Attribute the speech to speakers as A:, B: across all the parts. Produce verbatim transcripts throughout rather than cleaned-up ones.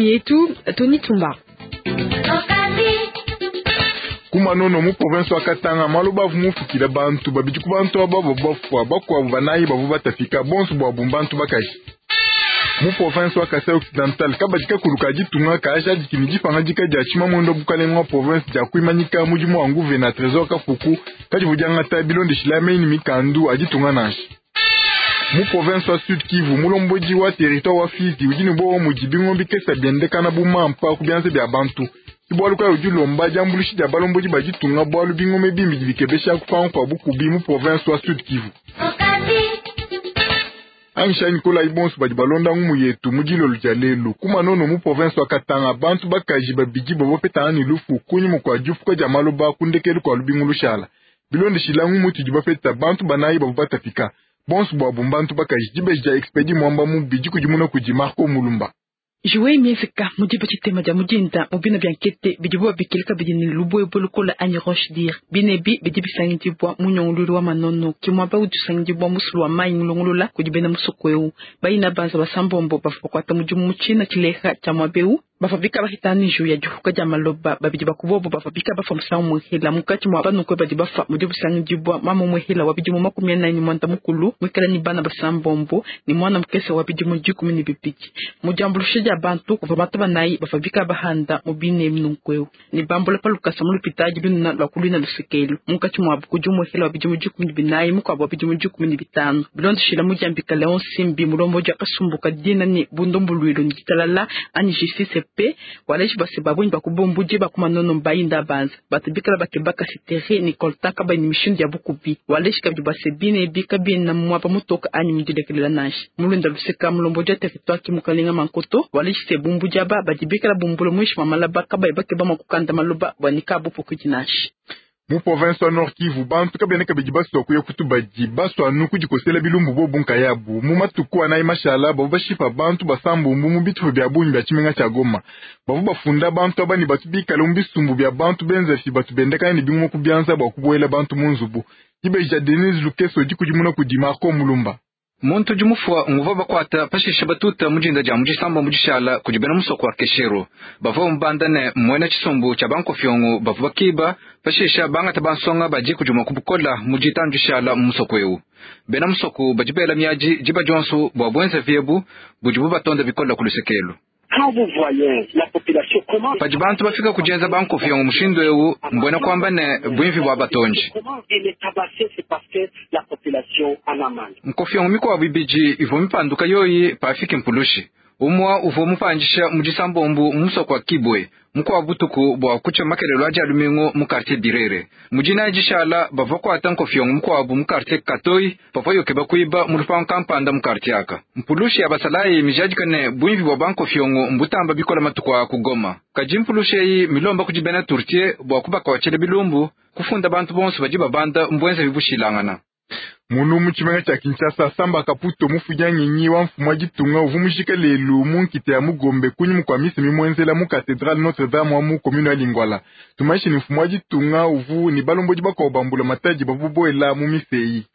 A: yetu Tony Tumba.
B: Kumanono mu province wa Katanga maloba avu mufukila bantu babidi ku bantu aba bafwa bakuabu banayi bavu batafika bonso bwabu bantu bakaji. Mu province wa Kasai Occidental kabadi kakulu ka ditunga kaajadiki ne dipangadika dia tshimamuendo bukalenga wa province dia kuimanyika mudimu wa nguvena Trésor Kafuku kadivu diangata bilondeshila meyi ne mikandu a ditunga nansha. Mu province wa Sud Kivu mulombodi wa territoire wa Fizi udi ne bowa mudi bingombi kesa biendekana bu mampa ku bianza bia bantu. Bwalu kayi udi ulomba diambuluishi dia balombodi ba ditunga bwalu bingoma bimbi bikebesha kupanga kua bukubi mu province wa Sud Kivu. Angisha Nicolas Ibonso badi balonda ngumu yetu mu dilolo dia lelu kumanono mu province wa Katanga bantu bakaji babidi bavua ne lufu kunyima kua difuka dia maloba ku ndekelu kua lubingu lushala. Bilondeshila ngumu tudi bapeta bantu banayi bavua batapika bonso bwabu mbantu bakaji dibeji dia Expedi Mwamba mubidi kudimuna kudi Marco Mulumba.
C: Juwe miezeka mudiba tshitema dia mudinda mubina bia nkete bidibu babikila kabidi ne lubuebue lukola anyi roche dire binebi bidi bisangidibwa mu nyongololo wa manono ke muaba udi usangidibwa musulu wa mayi mulongolola kudi bena musoko eu bayina banza basambombo bavua bakuata mudimu mu tshina tshileha tshia muaba eu bavua bika bahitana nju ya dihuka dia maloba babidi bakubobo bavua bika bafa musangu muhela mukati mwa banukwe badi bafa mudi busangidibwa mama muhela wa bidimu makumi anayi ne mwanda mukulu mwikala ni bana basambombo ni mwana mukese wa bidimu dikumi ne bibidi mu diambuluisha dia bantu kuvua bantu banayi bavua bika bahanda mu bine nunkweu ne bambula pa lukasa mu lupitadi lunena lua kulwina lusekelu munkatshi muabu kudi umuhela wa bidimu dikumi ne binayi mukuabu wa bidimu dikumi ne bitanu bilondeshila mudiambika Leon Simbi mulombodi akasumbuka dina ne bundombuluilo ne ditalala anyi justice pe waleji base babunyi bakubumbudi bakumanono mbayinda banza batu bikala bakebaka sitere ni kolta kaba ni mishindu ya bukubi waleji kabidi base bine bika bina mwapa mutoka anyi mudilekelela nansha mulunda luseka mulombodi wa territoire kimukalenga mankoto waleji se bumbudi aba badi bikala bumbula mwishi mwa malaba kabayi bakeba mwa kukanda maloba bwa nikabu pokudi nansha.
B: Mu province wa Nord Kivu bantu kabene kabidi baswa kuya kutubadi baswa anu kudikosela bilumbu bobu nkayabu mu matuku anayi mashala bavu bashipa bantu basambumbu mu bitupa bia bungi bia tshimenga tshia Goma bavu bafunda bantu aba ne batu bikale mu bisumbu bia bantu benza fi batu bendekana ne bingoma ku bianza bua kubuela bantu mu nzubu. Dibeji dia Denise Lukeso dikudimuna kudi Marco Mulumba.
D: Muntu udi mufua nguva bakuata pashishe batuta mudinda dia mudisamba mudishala kudi bena musoko wa Keshero bavua mubanda ne muena tshisumbu tshia bankofyongo bavua bakiba pashishe bangata bansonga badi kudi mua kubukola muditandishala mu musoko eu bena musoko badi bela miadi diba dionso bua buenza viebu budibu batonda bikola ku lusekelu. Padi bantu bafika kujenza bankofyongo mushindu eu mbwena kwamba ne bwimvi bwa batonji nkofyongo mikwabu ibidi ivua mipanduka yoyi pafiki mpulushi umwa uvua mupandisha mudisambombu musoko wa Kibwe mukwa butuku bua kucha makelelo aja lumingo mu quartier Birere mujina jishala bavua kuata nkofyongo mukwabu mu quartier Katoi pavua yoke bakuiba mu lupango kampanda mu quartier aka mpulushi ya basalayi mijadikane bwimvi bwa bankofyongo mbutamba bikola matuku a kugoma kadi mpulushi eyi milomba kudi bena Turtie bua kubakawatshela bilumbu kufunda bantu bonso badi babanda mbwenza bibushilangana.
B: Munu mu tshimenga tshia Kinshasa Samba Kaputo mufudia ngenyi wa mfumu wa ditunga uvua mujika lelu mu nkita ya Mugombe kunyima kua misa mimuenzela mu Cathedrale Notre Dame wa mu commune ya Lingwala. Tumaishi ni mfumu wa ditunga uvu ni balombodi bakuabu bambula matadi bavua boela mu misa eyi.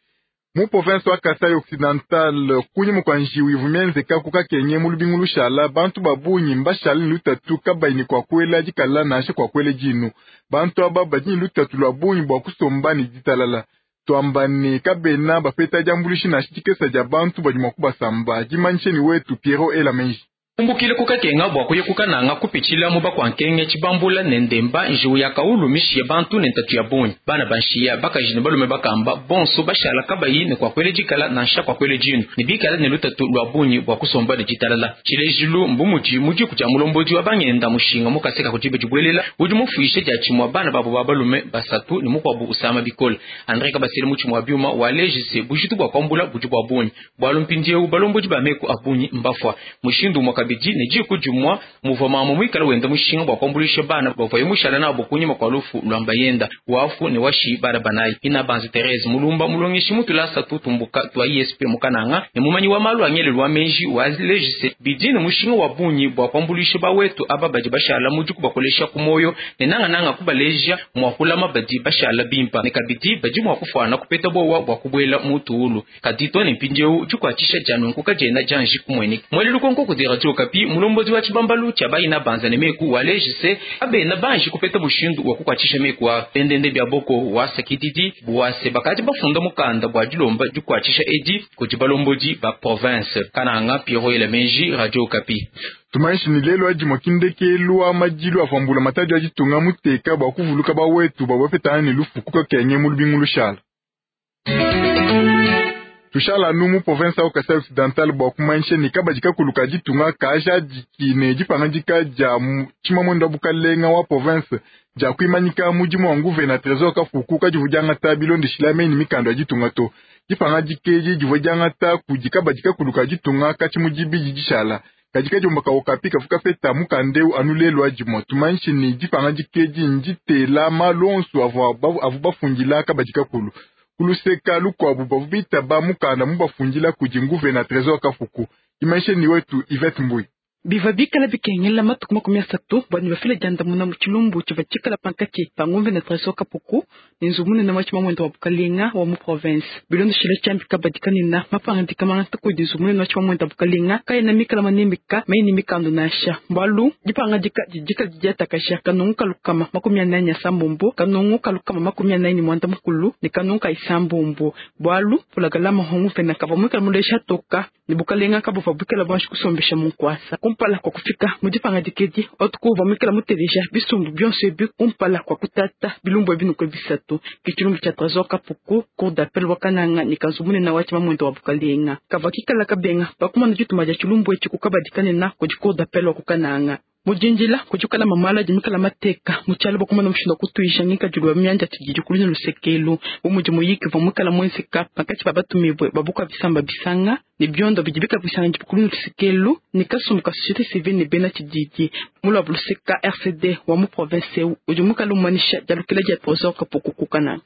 B: Mu province wa Kasai Occidental kunyima kua njiwu ivua mienzeka ku Kakenye mu lubingu lushala bantu ba bungi mbashala ne lutatu kabayi ne kua kuela dikala nansha kua kuela dinu. Bantu aba badi ne lutatu lua bungi bua kusomba ne ditalala. Twambane kabena bapeta diambuluishi nansha dikesa dia bantu badi mua kubasamba dimanyishe ni wetu Piero Elamenji.
E: Kumbukile kukakenga bua kuya kukananga kupitshila mu bakwankenge tshibambula ne ndemba njiwu ya kaulu mishiye bantu ne ntatu ya bungi bana banshiya bakaji ne balume bakamba bonso bashala kabayi ne kwa kwele dikala nansha kwa kwele dinu ne bikala ne lutatu lua bungi bua kusomba ne ditalala tshilejilu mbumuji mudi kutya mulombodi wa bangenda mushinga mukaseka kudibe dibwelela udi mufuishe dia tshimua bana babo ba balume basatu ne mukuabu usama bikole Andre Kabasele mutshimua wa biuma wa lejise bujitu bua kwambula budi bua bungi bwalu mpindieu balombodi ba meku abunyi mbafwa mushindu mwaka bidi ne jiku jumwa muva mama mwikala wenda mushinga bwa kwambulisha bana bavaye mushala nabo kunyima kwa lufu lwamba yenda wafu ne washi bana banayi ina banzi Therese Mulumba mulongeshi mutulasa tutumbuka twa I S P mukananga ne mumanyi wa malu angele lwa menji wa lejise bidi ne mushinga wa bunyi bwa kwambulisha bawetu aba badi bashala mujuku bakolesha kumoyo ne nanga nanga kubaleja mwakulama badi bashala bimpa ne kabidi badi mwakufana kupeta bowa bwa kubwela mutuulu kadito ne mpindieu chikwatisha janunku kajena janji kumweni mwele lukonko ku radio Okapi mulombodi wa tshibambalu tshia bayina banza ne meku walejise abena banji kupeta mushindu wa kukwatshisha meku a pendende bya boko wasakididi bwase bakadi bafunda mukanda bwa dilomba dikwatshisha edi kudi balombodi ba province. Kananga Pierrot Elemenji, Radio Okapi.
B: Tumaishi ni lelo adi mwakindekelu wa madilu avambula matadi aditunga muteka bwa kuvuluka ba wetu babapetana ne lufu kukakenye mu lubingu lushala. Tushala numu province au Kasai Occidental bwa kumanyisha ni kabadi kakulu ka ditunga kaja dikine dipangadika dia tshimamwendo wa bukalenga wa province dia kuimanyika mudimu wa nguvena Trésor Kafuku kadivu diangata bilondeshila meni mikando ya ditunga to. Dipangadika edi divua diangata kudi kabadi kakulu ka ditunga katshi mudibidi dishala. Kadika diombaka Okapi kafuka feta mukandeu anu lelo adimwa. Tumanyishe ni dipangadika edi nditela malu onso avua avu bafundila kabadi kakulu. Kuluseka lukwabu bavu ba mukanda mubafundila kudi nguvena Trésor Kafuku. Imanyishe ni wetu Yvette Mbui.
C: Biva bikala bikengela matuku makumi asatu bwa ne bafile diandamuna mu tshilumbu tshivua tshikala pankatshi pa nguvena Trésor Kapuku ne nzubu munene wa tshimamwendo wa bukalenga wa mu province. Bilondeshile tshiambi kabadi kanena mapangadika mangata kudi nzubu munene wa tshimamwendo wa bukalenga kayena mikala manemeka meyi mikando nansha. Mbalu dipangadika didikala didiatakasha kanungu kalukama makumi anayi asambombo kanungu kalukama makumi anayi ne mwanda mukulu ne kanungu ka isambombo. Bwalu pulagalama honguvena kavua muikala mulesha toka ne bukalenga kabuvua buikala bwanji kusombesha mu nkuasa. Kumpala kwa kufika mu dipangadika edi otukuva muikala muteleja bisumbu bionso ebi kumpala kwa kutata bilumbu ebi nukwe bisatu. Ke tshilumbu tshia Trésor Kapuku, cour d'appel wa Kananga ne kanzu munene wa tshimamwendo wa bukalenga. Kavua kikala kabenga pakumana dituma dia tshilumbu etshi kukabadika nena kudi cour d'appel wa ku Kananga. Mujinjila kujukala mamala jimikala mateka muchalo bakumana mushindu kutuisha ngikadilu wa myanja tshididi kulina lusekelu bumudi muyiki va mukala mwenzeka pakati pa batumibwe babuka bisamba bisanga ne biondo bidi bika bisanga kulina lusekelu ne kasumbu ka société civile ne bena tshididi mulwa buluseka R C D wa mu province udi mukala umanisha dialukila dia Trésor Kapuku kukana.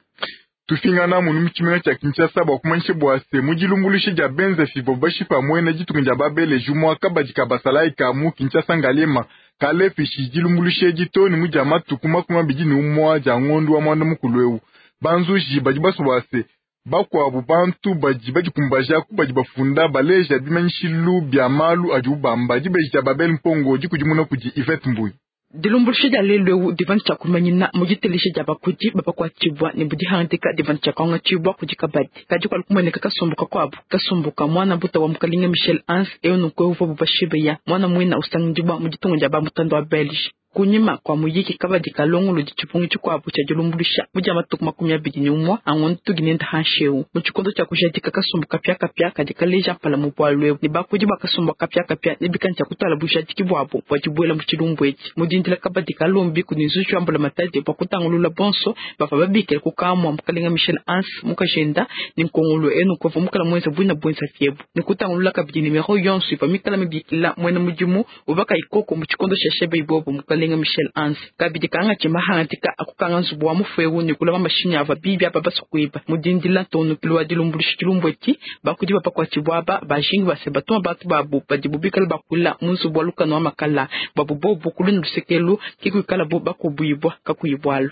B: Tufingana munu mutshimenga tshia Kinshasa bua kumanyisha bua se mudilumbuluishe dia benza fivo bashipa mwene ditunga dia babele jumwa kabadi ka basalayi ka mu Kinshasa Ngaliema kalefishi dilumbuluishe ditoni mu dia matuku makumi abidi ne umwa dia ngondu wa mwanda mukulu eu. Banzuji badi basua bua se bakuabu bantu badi badikumbaja ku badi bafunda baleja bimanyishilu bia malu adi ubamba dibeji dia Babel Mpongo dikudimuna kudi Yvette Mbui.
C: Dilumbuluishe dia lelo eu divandu tshia kumanyina mu ditelisha dia bakudi babakuatshibua ne budihandika divandu tshia kuangatshibua kudi kabadi. Kadi kuali kumueneka kasumbuka kuabu kasumbuka mwana buta wa mukalinga Michel Hans eu nukwe uvua bubashibeya mwana mwina usangidibua mu ditunga dia bamutando wa Belge. Kunyima kwa muyiki kabadi kalongolo di tshipungu tshikuabu tshia dilumbuluisha mu dia matuku makumi abidi ne umwa angondo tuginenda hansheu. Mu tshikondo tshia kujadika kasumbu kapiakapia kadi kaleja mpala mu bwalu ebu ne bakudi ba kasumbu kapiakapia ne bikani tshia kutwala bujadiki bwabo bua dibuela mu tshilumbu etshi. Mu dindila kabadi kalombi kudi nzuji wa mbula matadi bua kutangulula bonso bavua babikila ku kamua mukalenga Michel Hans mukajenda ne nkongolo enu kuvua mukala mwenza bwina bwenza fiebu ne kutangulula kabidi nimero yonso ivua mikala mibikila mwena mudimu uvaka ikoko mu tshikondo tshia shebe ibobo mukalenga Michel Hans kabidi kanga tshima hangatika akukanga nzubu wa mufwewu ne kulama mashinyi ava bibi aba basukuiba mudindila ntonukilu wa dilumbuluisha tshilumbu etshi bakudi bapakuatshibua aba bajingi base batuma bantu babu badi bubikala bakula mu nzubu wa lukano wa makala babu bobu kulina lusekelu kikuikala bo bakubuibwa kakuyibwalu.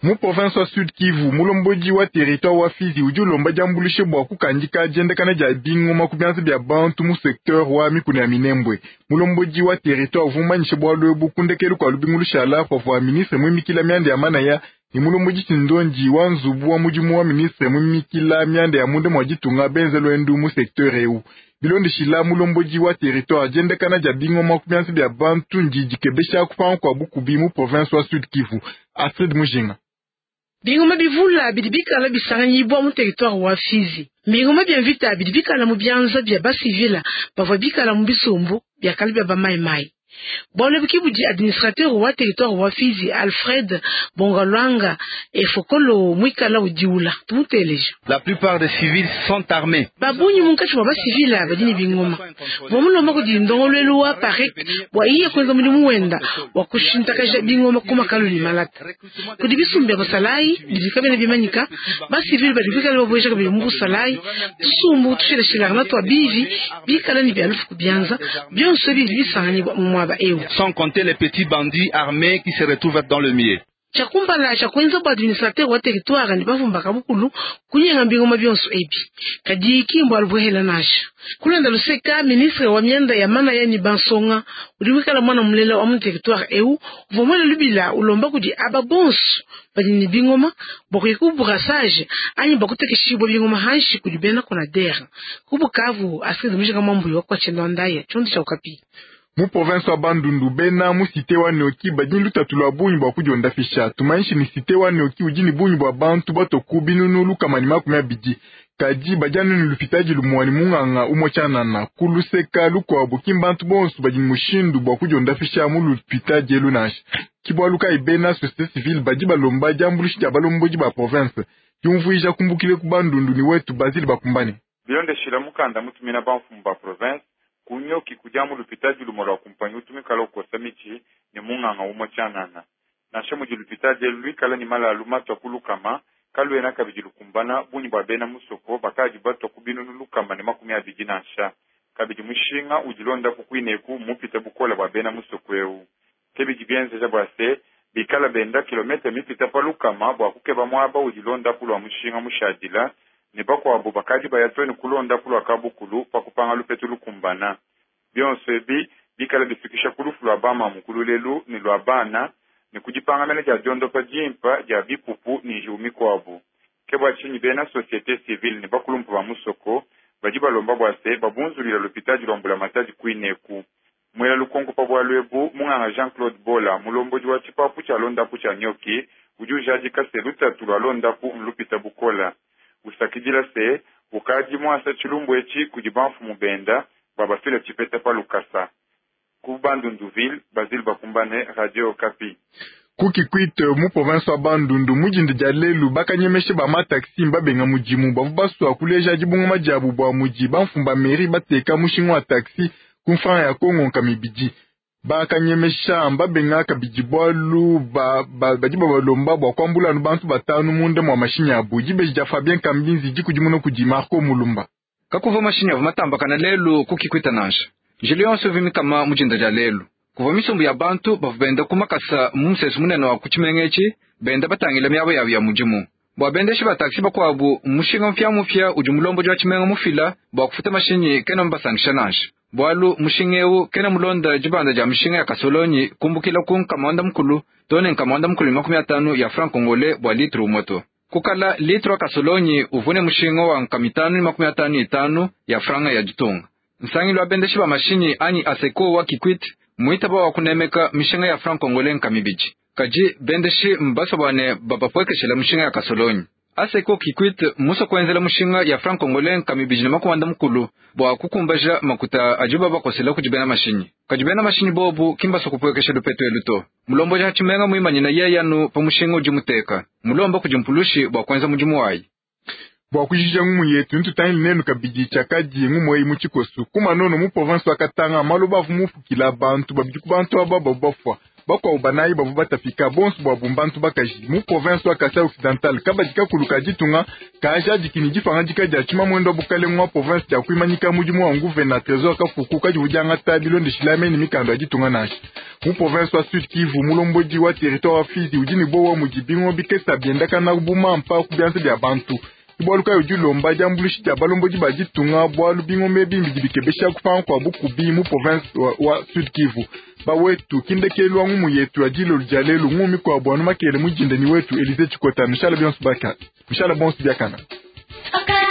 B: Mu province wa Sud Kivu, mulombodi wa territoire wa Fizi udi ulomba diambulishe bua kukandika diendekana dia bingoma ku bianza bia bantu mu secteur wa mikuna ya Minembwe. Mulombodi wa territoire uvumanyishe bwalu ebu kundekelu kua lubingu lushala pavua ministre muimikila mianda ya manaya ne mulombodi Tshindonji wa nzubu wa mudimu wa ministre muimikila mianda ya munda mua ditunga benze lwendu mu secteur eu. Bilondeshila mulombodi wa territoire diendekana dia bingoma ku bianza bia bantu ndidikebesha kupanga kua bukubi mu province wa Sud Kivu. Astrid Mujinga.
A: Bingoma bivula bidi bikala bisanganyibwa mu territoire wa Fizi. Bingoma bya mvita bidi bikala mu byanza bya basivila bavua bikala mu bisumbu byakali bya bamaimai. Bwalo bukibudi administrateur wa territoire wa Fizi Alfred Bongalwanga efokolo mwikala udiula tumuteleja.
F: La plupart des civils sont armés.
A: Babunyi munkachi wa basivila badini bingoma. Bomulomba kudi ndongolwelu wa parek bwa iye kwenza mudimu wenda wa kushintakaja bingoma kuma kaluli malata. Kudi bisumbu bya basalayi bidi kabena bimanyika basivili badi bikala babweja kabili mu busalayi tusumbu tushilashilana twa bivi bikala ni bya lufu kubyanza byonso bili bisanganyibwa mu
F: Sans compter les petits bandits armés qui se retrouvent dans le milieu.
A: Tshiakumpala tshia kuenza bua administrateur wa territoire ne bafumba kabukulu kunyenga bingoma bionso ebi. Kadi kimbo alubwehela nansha. Kulanda luseka ministre wa mianda ya mana ya ni bansonga udi wikala mwana mulela wa mu territoire eu uvua muele lubila ulomba kudi aba bonso badi ne bingoma bua kuya ku brassage anyi bua kutekeshibua bingoma hanshi kudi bena konadere. Ku Bukavu Astrid Mujinga Mwambuyi wa kwa Tshendo Ndaya tshiondo tshia Okapi.
B: Mu province wa Bandundu bena mu cité wa Nioki badi lutatu lwa bungi bua kudiondafisha. Tumaishi ni cité wa Nioki udi ni bungi bua bantu batoku binunu lukama ni makumi abidi. Kadi badianu ni lupitaji lumwani munganga umwe tshanana kuluseka lukuabu kimbantu bonso badi mushindu bua kudiondafisha mu lupitaji elu nansha. Kibwaluka ibena société civile badi balomba diambuluishi dia balombodi ba province. Diumvuija kumbukile ku Bandundu ni wetu Basile Bakumbane.
G: Bilondeshila mukanda mutumina bamfumu ba province kunyoki kujamu lupitaji lumo lwa kumpanyi utumikala ukosa michi ni munganga umwe tshanana. Nansha mudi lupitaji elu luikala ni malalu matwa kulukama kalwena kabidi lukumbana bunyi bwa bena musoko bakaji batwa kubinunu lukama ni makumi abidi nansha. Kabidi mushinga udilonda kukwineku mupita bukola bwa bena musoko eu. Kebidi bienzeja bwa se bikala benda kilomita mipita pa lukama bwa kukeba mwaba udilonda kulwa mushinga mushadila ne bakwabo bakaji bayatweni kulonda kulwa kabukulu pa kupanga lupetu lukumbana. Bionso ebi bikala bifikisha kulufu lwa bama mukululelu ni lwa bana ni kujipangamena dia diondopa jimpa dia bipupu ni njiu mikwabu. Ke bwa tshinyi bena société civile ne bakulumpa ba musoko badi balomba bwa se babunzulila lupitaji lwa mbulamatadi kwineku. Mwela lukonko pa bwa lwebu munganga Jean-Claude Bola mulombodi wa tshipapu tshia londapu tshia Nioki udi ujadika se lutatu lwa londapu nlupita bukola. Usakidila se ukadi mwasa tshilumbu etshi kudi bamfumu benda babafila tshipeta pa lukasa. Ku Bandunduville, Basile Bakumbane, Radio Okapi.
B: Kukikwite mu province wa Bandundu mujindi dia lelu bakanyemeshe ba mataxi mbabenga mudimu bavu baswa kuleja dibungama diabu bua mudi bamfumba mairie bateka mushinga wa taxi ku mfranga ya Kongo nkamibidi. Bakanyemesha mbabenga kabidi bwalu ba badi babalomba bua kuambula anu bantu batanu munda mwa mashinyi abu. Dibeji dia Fabien Kambinzi dikudimuna kudi Marco Mulumba.
D: Kakuva mashinyi avu matambakana lelu kukikwita nansha. Njili yonso vimikama mujinda dia lelu. Kuva misumbu ya bantu bavu benda kumakasa mu musesu munene wa kutshimenga benda batangila miaba yabu ya mudimu. Bua bendeshi ba taxi bakuabu mushinga mupya mupya udi mulombodi wa tshimenga mufila bua kufuta mashinyi kena mbasangisha nansha. Bwalu mushinga eu kena mulonda dibanda dia mishinga ya kasolonyi kumbukila ku nkamanda mukulu tone nkamanda mukulu makumi atanu ya franc congolais bua litre umoto. Kukala litre wa kasolonyi uvune mushinga wa nkamitanu makumi atanu itanu ya franga ya ditunga. Nsangilu wa bendeshi ba mashinyi anyi aseko wa Kikwit muitaba wa kunemeka mishinga ya franc congolais nkamibidi. Kaji bendeshi mbasobane babapwekeshela mushinga ya kasolonyi. Aseko Kikwit muso kuenzela mushinga ya franc congolais nkamibidi na makuanda mukulu bua kukumbaja makuta ajiba bakosela kujibena mashinyi. Kajibena mashinyi bobu kimbaso kupwekesha lupetu eluto. Mulombo ja tshimenga muimanyina yeyanu pa mushinga udi muteka. Mulomba kujimpulushi bua kuenza mudimu wayi.
B: Bua kujija ngumu yetu ntutangile nenu kabidi tshiakadi ngumu eyi mu tshikosu. Kumanono mu province wa Katanga maloba avu mufukila bantu babidi ku bantu aba bavu bafua. Bakuabu banayi bavu batapika bonso bua bantu bakaji. Mu province wa Kasai Occidental kabadi kakulu ka ditunga kajadiki ni dipangadika dia tshimamwendo wa bukalenga wa province dia kuimanyika mudimu wa nguvena Trésor Kafuku kadi udiangata bilondeshila mene mikando ya ditunga nansha. Mu province wa Sud Kivu mulombodi wa territoire wa Fizi udi ne bowa mudi bingo bikesa biendakana bumampa ku bianza bia bantu. Bwalu kayo dilomba diambuluishi dia balombodi ba ditunga bwalu bingombe bimbi bikebesha kupanga kwa bukubi mu province wa, wa Sud Kivu. Bawetu kindekelwa ngumu yetu ya dilo dia lelu ngumi kwa bwanu makele mujinde ni wetu Elize Chikota. Mishala bionso baka. Mishala bonso biakana.
H: Okay.